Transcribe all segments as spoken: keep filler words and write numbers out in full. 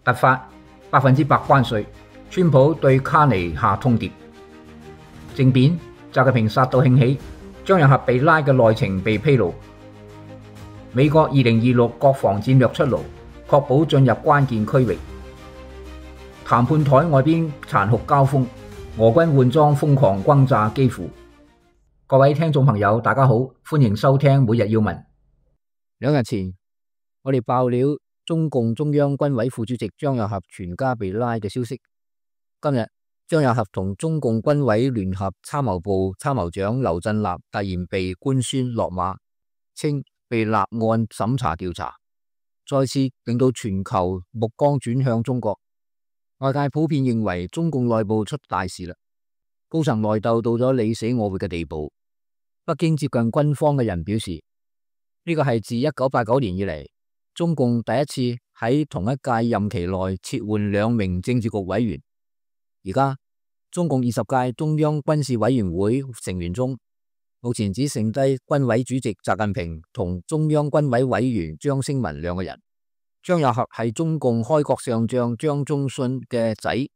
突發百分之百關稅，川普對卡尼下通牒。政變，習近平殺到興起，張又俠被拉嘅內情被披露。美國二零二六國防戰略出爐，確保進入關鍵區域。談判台外邊殘酷交鋒，俄軍換裝瘋狂轟炸基輔。各位聽眾朋友，大家好，歡迎收聽每日要聞。兩日前，我哋爆料中共中央軍委副主席張又俠全家被拉嘅消息。今日張又俠同中共軍委聯合參謀部參謀長劉振立突然被官宣落馬，稱被立案審查調查，再次令到全球目光轉向中國。外界普遍認為中共內部出大事啦，高層內鬥到咗你死我活嘅地步。北京接近軍方嘅人表示，呢個係自一九八九年以嚟，中共第一次喺同一屆任期內撤換兩名政治局委員。而家中共二十屆中央軍事委員會成員中，目前只剩低軍委主席習近平同中央軍委委員張升文兩個人。張又俠係中共開國上將張宗遜嘅仔，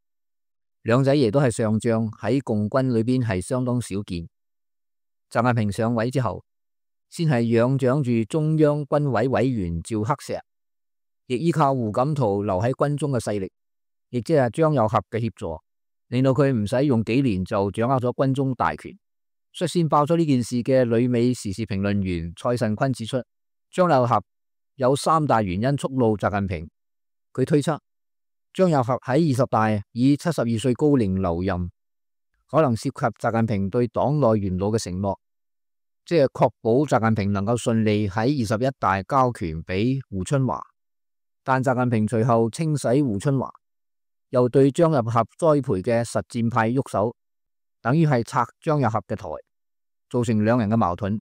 兩仔爺都係上將，喺共軍裏邊係相當少見。習近平上位之後，先係仰仗住中央軍委委員趙克石，亦依靠胡錦濤留喺軍中嘅勢力，亦即係張又俠嘅協助，令到佢唔使用幾年就掌握咗軍中大權。率先爆出呢件事嘅旅美時事評論員蔡慎坤指出，張又俠有三大原因觸怒習近平。佢推測張又俠喺二十大以七十二歲高齡留任，可能涉及習近平對黨內元老嘅承諾，即係確保習近平能夠順利喺二十一大交權俾胡春華。但習近平隨後清洗胡春華，又對張又俠栽培嘅實戰派喐手，等於係拆張又俠嘅台，造成兩人嘅矛盾。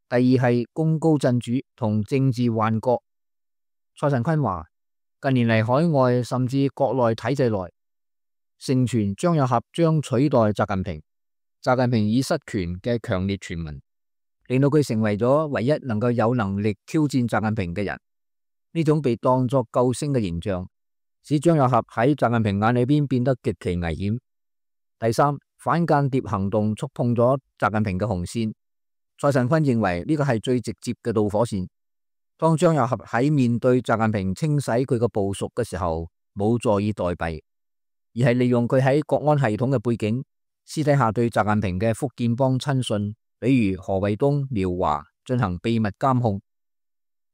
第二係功高震主同政治幻覺。蔡慎坤話，近年嚟海外甚至國內體制內盛傳張又俠將取代習近平，習近平已失權嘅強烈傳聞，令到佢成為咗唯一能夠有能力挑戰習近平嘅人。呢種被當作救星嘅形象，使張又俠喺習近平眼裏邊變得極其危險。第三，反間諜行動觸碰咗習近平嘅紅線。蔡慎坤認為呢個係最直接嘅導火線。當張又俠喺面對習近平清洗佢嘅部屬嘅時候，冇坐以待斃，而係利用佢喺國安系統嘅背景，私底下對習近平嘅福建幫親信，比如何衛東、廖華進行秘密監控。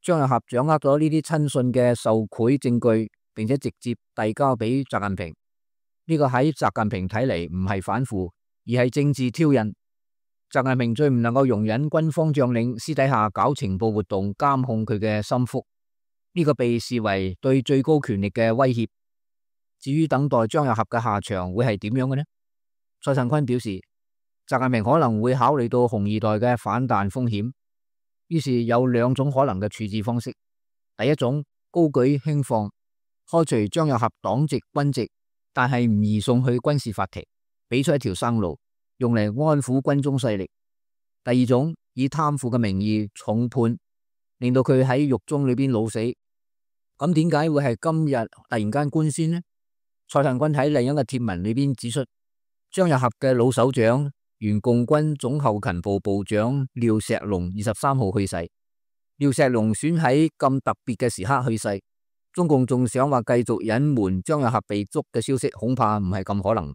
張又俠掌握咗呢啲親信嘅受賄證據，並且直接遞交俾習近平。呢個喺習近平睇嚟唔係反腐，而係政治挑釁。習近平最唔能夠容忍軍方將領私底下搞情報活動監控佢嘅心腹，呢個被視為對最高權力嘅威脅。至於等待張又俠嘅下場會係點樣嘅呢？蔡慎坤表示，習近平可能會考慮到紅二代嘅反彈風險，於是有兩種可能嘅處置方式。第一種，高舉輕放，開除張又俠黨籍軍籍，但係唔移送去軍事法庭，俾出一條生路，用嚟安撫軍中勢力。第二種，以貪腐嘅名義重判，令到佢喺獄中裏邊老死。咁點解會係今日突然間官宣呢？蔡慎坤喺另一個貼文裏邊指出，張又俠嘅老首長原共軍總後勤部部長廖石龍二十三號去世。廖石龍選喺咁特別嘅時刻去世，中共仲想話繼續隱瞞張又俠被捉嘅消息，恐怕唔係咁可能。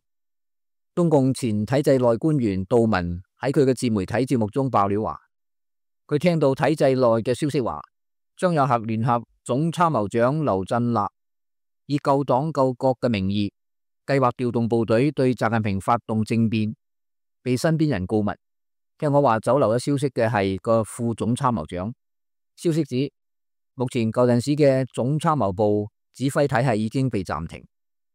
中共前體制內官員杜文喺佢嘅自媒體節目中爆料話，佢聽到體制內嘅消息話，張又俠聯合總參謀長劉振立以救黨救國嘅名義，計劃調動部隊對習近平發動政變，被身邊人告密。聽我話走漏咗消息嘅係個副總參謀長。消息指，目前舊陣時嘅總參謀部指揮體系已經被暫停，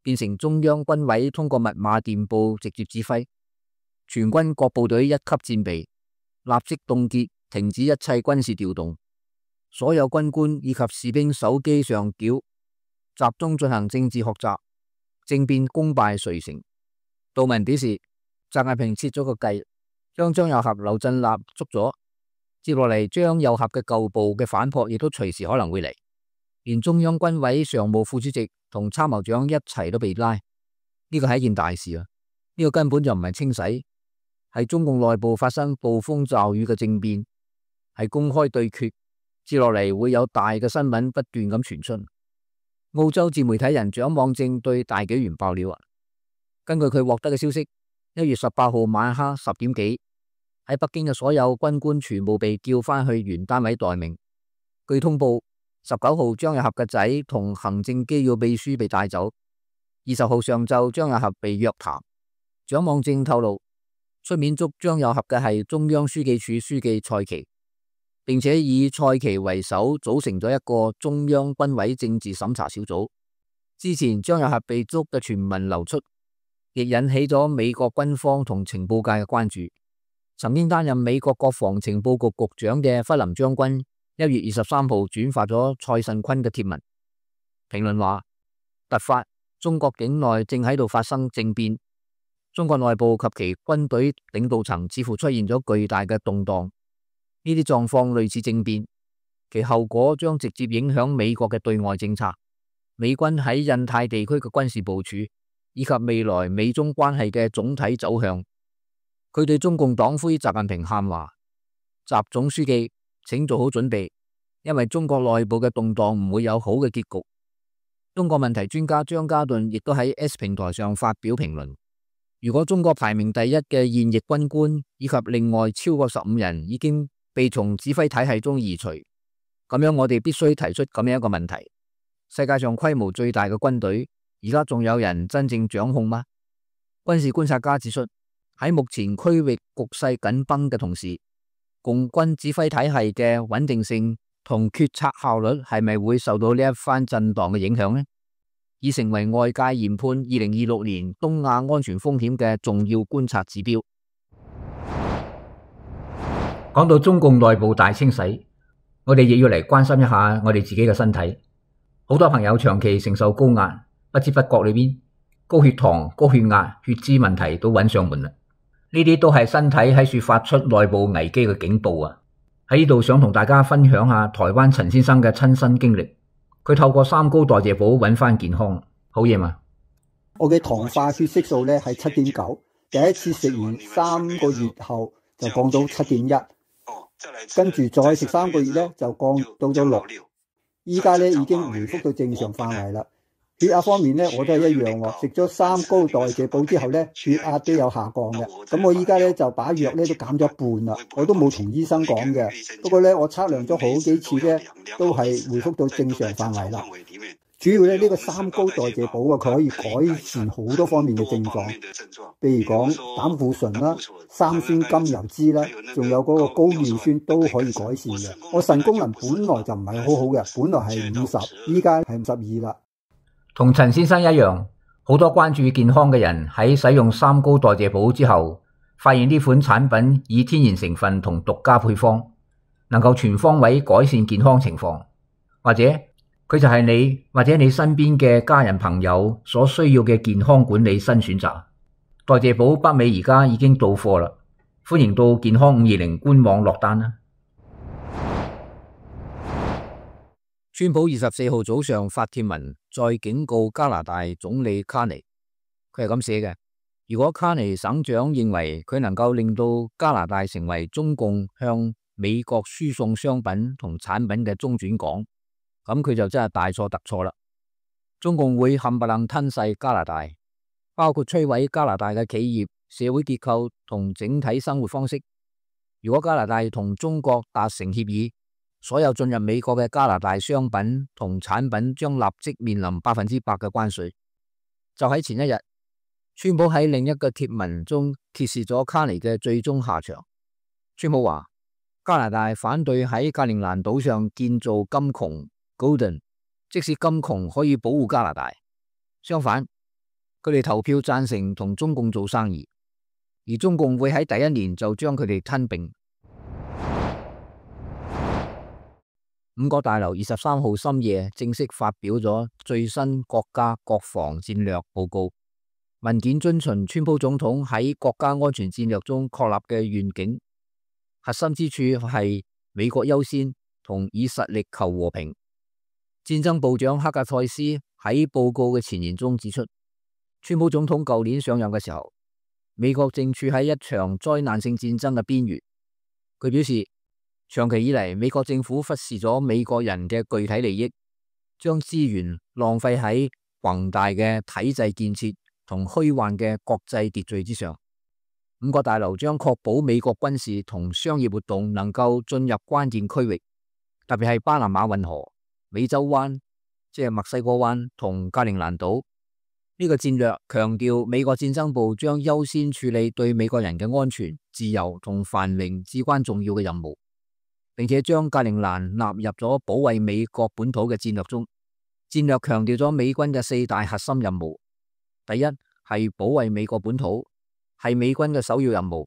變成中央軍委通過密碼電報直接指揮，全軍各部隊一級戰備，立即凍結停止一切軍事調動，所有軍官以及士兵手機上繳，集中進行政治學習，政變功敗垂成。杜文表示，習近平設咗個計，將張又俠、劉振立捉咗，接落嚟張又俠嘅舊部嘅反撲亦都隨時可能會嚟。連中央軍委常務副主席同參謀長一齊都被拉，呢個係一件大事啊！呢個根本就唔係清洗，係中共內部發生暴風驟雨嘅政變，係公開對決。接落嚟會有大嘅新聞不斷咁傳出。澳洲自媒體人蔣望正對大紀元爆料啊！根據佢獲得嘅消息，一月十八號晚黑十點幾，喺北京嘅所有軍官全部被叫返去原單位待命。據通報，十九號張又俠嘅仔同行政機要秘書被帶走。二十號上晝，張又俠被約談。蔣望正透露，出面捉張又俠嘅係中央書記處書記蔡奇，並且以蔡奇為首組成咗一個中央軍委政治審查小組。之前張又俠被捉嘅傳聞流出，亦引起咗美國軍方同情報界嘅關注。曾經擔任美國國防情報局局長嘅弗林將軍一月二十三號轉發咗蔡慎坤嘅貼文，評論話：突發，中國境內正喺度發生政變，中國內部及其軍隊領導層似乎出現咗巨大嘅動盪。呢啲狀況類似政變，其後果將直接影響美國嘅對外政策、美軍喺印太地區嘅軍事部署，以及未來美中關係嘅總體走向。佢對中共黨魁習近平喊話：習總書記，請做好準備，因為中國內部嘅動盪唔會有好嘅結局。中國問題專家張家頓亦都喺 S 平台上發表評論：如果中國排名第一嘅現役軍官以及另外超過十五人已經被從指揮體系中移除，咁樣我哋必須提出咁樣一個問題：世界上規模最大嘅軍隊，而家仲有人真正掌控嗎？軍事觀察家指出，喺目前區域局勢緊繃嘅同時，共軍指揮體系嘅穩定性同決策效率係咪會受到呢一番震盪嘅影響呢？已成為外界研判二零二六年東亞安全風險嘅重要觀察指標。講到中共內部大清洗，我哋亦要嚟關心一下我哋自己嘅身體。好多朋友長期承受高壓，不知不覺裏邊高血糖、高血壓、血脂問題都揾上門啦。呢啲都係身體喺處發出內部危機嘅警報啊！喺呢度想同大家分享下台灣陳先生嘅親身經歷。佢透過三高代謝補揾翻健康，好嘢嘛！我嘅糖化血色素咧係七點九，第一次食完三個月後就降到七點一，跟住再食三個月咧就降到咗六，依家咧已經回復到正常範圍啦。血壓方面咧，我都係一樣喎。食咗三高代謝補之後咧，血壓都有下降嘅。咁我依家咧就把藥咧都減咗一半啦。我都冇同醫生講嘅。不過咧，我測量咗好幾次咧，都係回復到正常範圍啦。主要咧呢個三高代謝補啊，佢可以改善好多方面嘅症狀，譬如講膽固醇啦、三酸甘油酯啦，仲有嗰個高尿酸都可以改善嘅。我腎功能本來就唔係好好嘅，本來係五十，依家係五十二啦。同陳先生一樣，好多關注健康嘅人喺使用三高代謝補之後，發現呢款產品以天然成分同獨家配方，能夠全方位改善健康情況，或者佢就係你或者你身邊嘅家人朋友所需要嘅健康管理新選擇。代謝補北美而家已經到貨啦，歡迎到健康五二零官網落單啦。川普二十四號早上發帖文，再警告加拿大總理卡尼，佢係咁寫嘅：如果卡尼省長認為佢能夠令到加拿大成為中共向美國輸送商品同產品嘅中轉港，咁佢就真係大錯特錯啦。中共會冚唪唥吞噬加拿大，包括摧毀加拿大嘅企業、社會結構同整體生活方式。如果加拿大同中國達成協議，所有進入美國嘅加拿大商品同產品將立即面臨百分之百嘅關稅。就喺前一日，川普喺另一個貼文中揭示咗卡尼嘅最終下場。川普話加拿大反對喺格陵蘭島上建造金穹 Golden， 即使金穹可以保護加拿大，相反，佢哋投票贊成同中共做生意，而中共會喺第一年就將佢哋吞併。五角大樓二十三號深夜正式發表咗最新國家國防戰略報告，文件遵循川普總統喺國家安全戰略中確立嘅願景，核心之處係美國優先同以實力求和平。戰戰爭部長克格塞斯喺報告嘅前言中指出，川普總統舊年上任嘅時候，美國正處喺一場災難性戰爭嘅邊緣。佢表示，長期以嚟，美國政府忽視咗美國人嘅具體利益，將資源浪費喺宏大嘅體制建設同虛幻嘅國際秩序之上。五角大樓將確保美國軍事同商業活動能夠進入關鍵區域，特別係巴拿馬運河、美洲灣，即係墨西哥灣同格陵蘭島。呢個戰略強調美國戰爭部將優先處理對美國人嘅安全、自由同繁榮至關重要嘅任務，並且將格陵蘭納入咗保衛美國本土嘅戰略中。戰略強調咗美軍嘅四大核心任務：第一係保衛美國本土，係美軍嘅首要任務；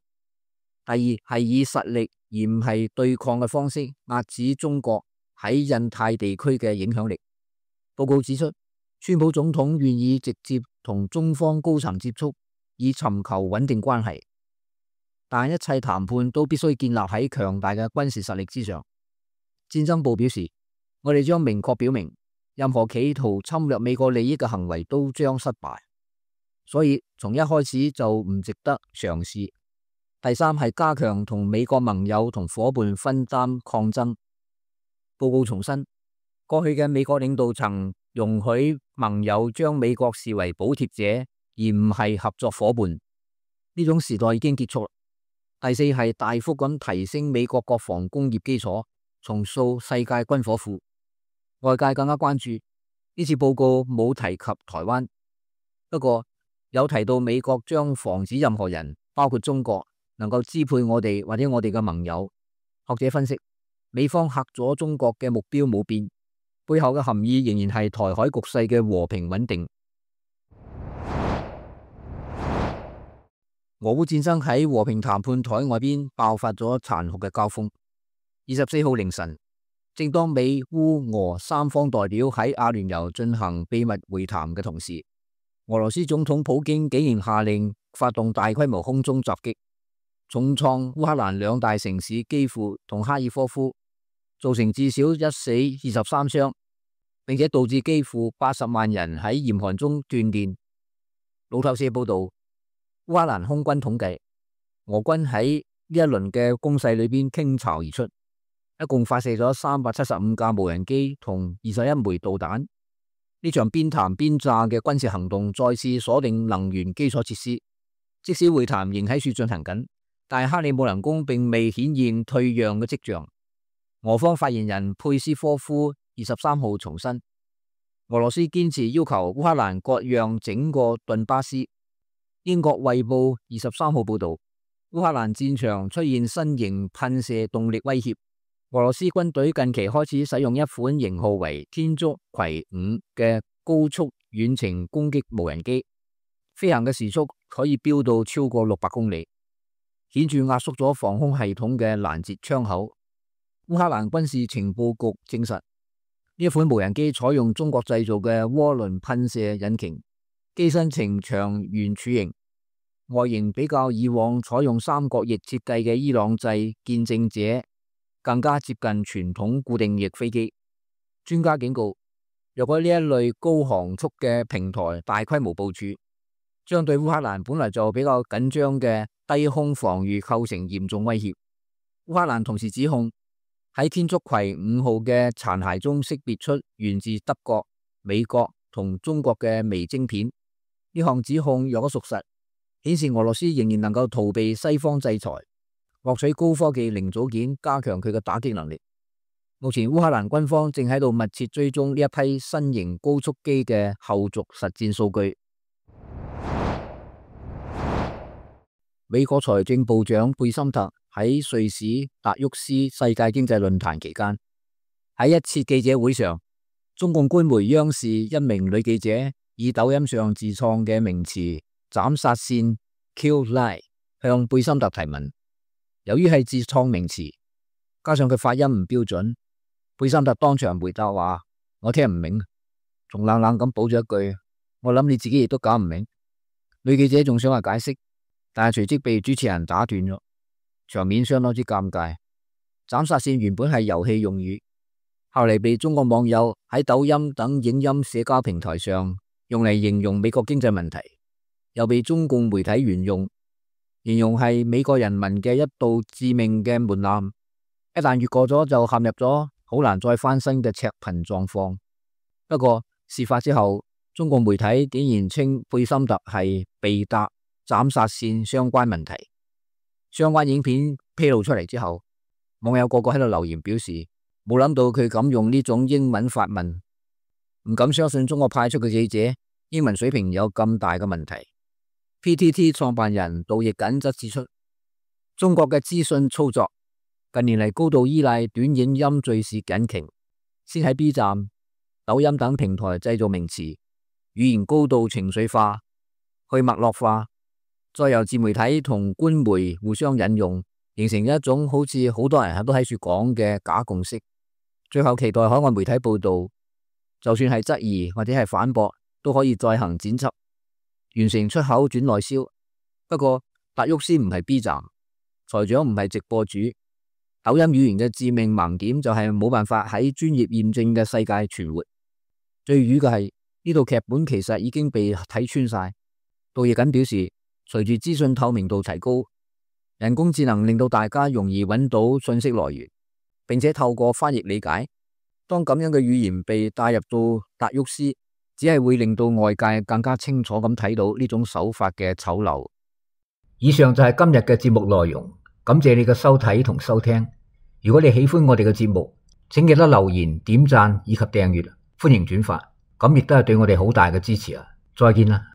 第二係以實力而唔係對抗嘅方式壓止中國喺印太地區嘅影響力。報告指出，川普總統願意直接同中方高層接觸，以尋求穩定關係，但一切談判都必須建立喺強大嘅軍事實力之上。戰爭部表示，我哋將明確表明，任何企圖侵略美國利益嘅行為都將失敗，所以從一開始就唔值得嘗試。第三係加強同美國盟友同夥伴分擔抗爭。報告重申，過去嘅美國領導層容許盟友將美國視為補貼者，而唔係合作夥伴。呢種時代已經結束。第四係大幅咁提升美國國防工業基礎，重塑世界軍火庫。外界更加關注呢次報告冇提及台灣，不過有提到美國將防止任何人，包括中國，能夠支配我哋或者我哋嘅盟友。學者分析，美方嚇咗中國嘅目標冇變，背後嘅含義仍然係台海局勢嘅和平穩定。俄烏戰爭喺和平談判台外邊爆發咗殘酷嘅交鋒。二十四號凌晨，正當美烏俄三方代表喺阿聯酋進行秘密會談嘅同時，俄羅斯總統普京竟然下令發動大規模空中襲擊，重創烏克蘭兩大城市基輔同哈爾科夫，造成至少一死二十三傷，並且導致基輔八十萬人喺嚴寒中斷電。路透社報道，烏克蘭空軍統計，俄軍喺呢一輪嘅攻勢裏邊傾巢而出，一共發射咗三百七十五架無人機同二十一枚導彈。呢場邊談邊炸嘅軍事行動再次鎖定能源基礎設施，即使會談仍喺處進行緊，但克里姆林宮並未顯現退讓嘅跡象。俄方發言人佩斯科夫二十三號重申，俄羅斯堅持要求烏克蘭割讓整個頓巴斯。英國衛報二十三號報道，烏克蘭戰場出現新型噴射動力威脅。俄羅斯軍隊近期開始使用一款型號為天竺葵五嘅高速遠程攻擊無人機，飛行嘅時速可以飆到超過六百公里，顯著壓縮咗防空系統嘅攔截窗口。烏克蘭軍事情報局證實，呢一款無人機採用中國製造嘅渦輪噴射引擎，機身呈長圓柱形，外形比較以往採用三角翼設計嘅伊朗製見證者更加接近傳統固定翼飛機。專家警告，若果呢一類高航速嘅平台大規模部署，將對烏克蘭本來就比較緊張嘅低空防禦構成嚴重威脅。烏克蘭同時指控喺天竺葵五號嘅殘骸中識別出源自德國、美國同中國嘅微晶片。呢項指控若果屬實，顯示俄羅斯仍然能夠逃避西方制裁，獲取高科技零組件，加強佢嘅打擊能力。目前烏克蘭軍方正喺度密切追蹤呢一批新型高速機嘅後續實戰數據。美國財政部長貝森特喺瑞士達沃斯世界經濟論壇期間，喺一次記者會上，中共官媒央視一名女記者以抖音上自創嘅名詞斬殺線 Kill Lie 向貝森特提問。由於係自創名詞，加上佢發音唔標準，貝森特當場回答話：我聽唔明，仲冷冷咁補咗一句：我諗你自己亦都搞唔明。女記者仲想話解釋，但係隨即被主持人打斷咗，場面相當之尷尬。斬殺線原本係遊戲用語，後嚟被中國網友喺抖音等影音社交平台上用嚟形容美國經濟問題，又被中共媒體沿用，形容係美國人民嘅一道致命嘅門檻，一旦越過咗就陷入咗好難再翻身嘅赤貧狀況。不過事發之後，中共媒體竟然稱貝森特係被搭斬殺線相關問題。相關影片披露出嚟之後，網友個個喺度留言表示冇諗到佢敢用呢種英文發問，唔敢相信中國派出嘅記者英文水平有咁大嘅問題。P T T 創辦人杜奕瑾則指出，中國嘅資訊操作近年嚟高度依賴短影音敘事引擎，先喺 B 站、抖音等平台製造名詞，語言高度情緒化、去脈絡化，再由自媒體同官媒互相引用，形成一種好似好多人都喺處講嘅假共識。最後期待海外媒體報道，就算係質疑或者係反駁，都可以再行剪輯，完成出口轉內銷。不過達沃斯唔係 B 站，財長唔係直播主，抖音語言嘅致命盲點就係冇辦法喺專業驗證嘅世界存活。最瘀嘅係呢套劇本其實已經被睇穿晒。杜奕瑾表示，隨住資訊透明度提高，人工智能令到大家容易揾到信息來源，並且透過翻譯理解。當咁樣嘅語言被帶入到達沃斯，只係會令到外界更加清楚咁睇到呢種手法嘅醜陋。以上就係今日嘅節目內容，感謝你嘅收睇同收聽。如果你喜歡我哋嘅節目，請記得留言、點讚以及訂閱，歡迎轉發，咁亦都係對我哋好大嘅支持啊！再見啦。